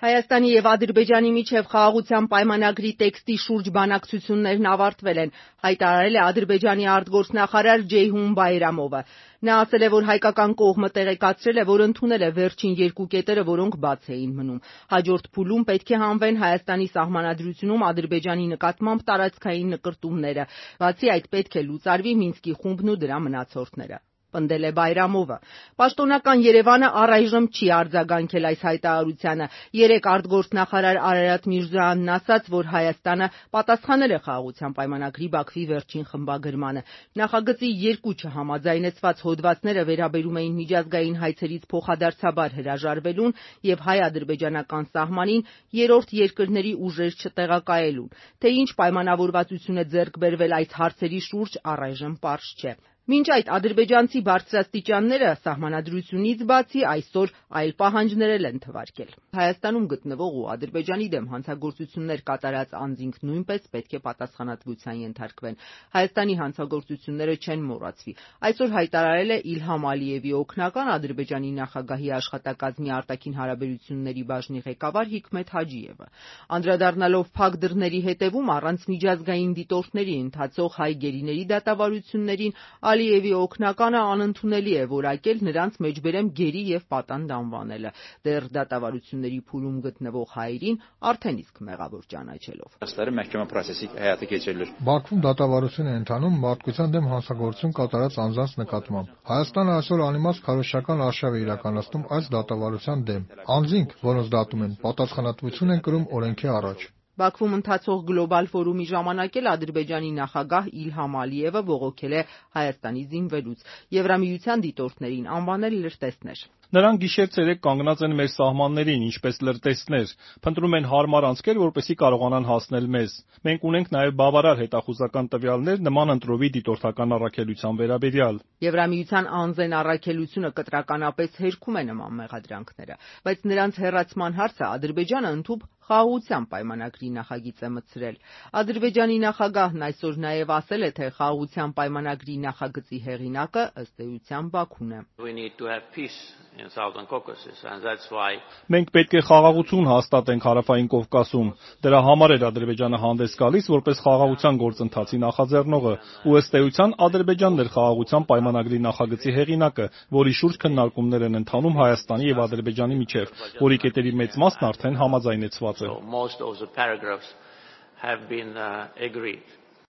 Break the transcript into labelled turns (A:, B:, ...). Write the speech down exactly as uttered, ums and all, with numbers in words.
A: Հայաստանի եւ Ադրբեջանի միջև խաղաղության պայմանագրի տեքստի շուրջ բանակցություններն ավարտվել են, հայտարարել է Ադրբեջանի արտգործնախարար Ջեյհուն Բայրամովը։ Նա ասել է, որ հայկական կողմը տեղեկացրել է, որ ընդունել է վերջին երկու կետերը, որոնք բաց էին մնում։ Հաջորդ փուլում պետք է հանվեն Հայաստանի սահմանադրությունում Ադրբեջանի նկատմամբ տարածքային նկրտումները։ Բացի այդ, պետք է լուծարվի Մինսկի խումբն ու դրա մնացորդները։ Պնդել է Բայրամովը։ Պաշտոնական Երևանը առայժմ չի արձագանքել այս հայտարարությանը։ Երեկ արտգործնախարար Արարատ Միրզոյանն ասաց, որ Հայաստանը պատասխանել է խաղաղության պայմանագրի Բաքվի վերջին խմբագրմանը։ Նախագծի երկու չհամաձայնեցված հոդվածները վերաբերում էին միջազգային հայցերից փոխադարձաբար հրաժարվելուն եւ հայ-ադրբեջանական սահմանին երրորդ երկրների ուժեր չտեղակայելուն։ Թե ինչ պայմանավորվածություն է ձեռք բերվել այս հարցերի շուրջ, առայժմ պարզ չէ։ Մինչ այդ ադրբեջանցի բարձրաստիճանները սահմանադրությունից բացի այսօր այլ պահանջներ են թվարկել։ Հայաստանում գտնվող ու Ադրբեջանի դեմ հանցագործություններ կատարած անձինք նույնպես պետք է պատասխանատվության ենթարկվեն։ Հայաստանի հանցագործությունները չեն մոռացվի։ Այսօր հայտարարել է Իլհամ Ալիևի օգնական Ադրբեջանի նախագահի աշխատակազմի արտաքին հարաբերությունների բաժնի ղեկավար Հիկմեթ Հաջիևը։ Անդրադառնալով փակ դռների հետևում առանց միջազգային դիտորդների ընթացող հայ գերիների դատավարություններին, Ալիևի օգնականը անընդունելի է որակել նրանց մեջբերեմ գերի եւ պատանդ անվանելը, դեռ դատավարությունների փուլում գտնվող հայերին արդեն իսկ մեղավոր ճանաչելով։
B: Բաքվում դատավարություն է ընթանում մարդկության դեմ հանցագործություն կատարած անձանց նկատմամբ։ Հայաստանը այսօր անիմաստ քարոզչական արշավ է իրականացնում այս դատավարության դեմ։ Անձինք, որոնց դատում են, պատասխանատվություն են կրում օրենքի առաջ։
A: Բաքվում ընթացող գլոբալ ֆորումի ժամանակ էլ Ադրբեջանի նախագահ Իլհամ Ալիևը բողոքել է Հայաստանի զինվելուց, Եվրամիության դիտորդներին անվանել լրտեսներ։
C: Նրանք գիշեր-ցերեկ կանգնած են մեր սահմաններին, ինչպես լրտեսներ, փնտրում են հարմար անցքեր, որպեսզի կարողանան հասնել մեզ։ Մենք ունենք նաև բավարար հետախուզական տվյալներ նման ընտրովի դիտորդական առաքելության վերաբերյալ։
A: Եվրամիության անձեն առաքելությունը կտրականապես հերքում է նման մեղադրանքները, բայց նրանց հեռացման հարցը Ադրբեջանը ընդհուպ խաղաղության պայմանագրի նախագիծ է մտցրել։ Ադրբեջանի նախագահն այսօր նաև ասել է, թե խաղաղության պայմանագրի նախագծի հեղինակը ըստ էության Բաքուն է։
C: Մենք պետք է խաղաղություն հաստատենք Հարավային Կովկասում։ Դրա համար էր Ադրբեջանը հանդես գալիս որպես խաղաղության գործընթացի նախաձեռնողը, ու ըստ էության Ադրբեջանն էր խաղաղության պայմանագրի նախագծի հեղինակը, որի շուրջ քննարկումներ են ընթանում Հայաստանի եւ Ադրբեջանի միջեւ, որի կետերի մեծ մասն արդեն համաձայնեցված է։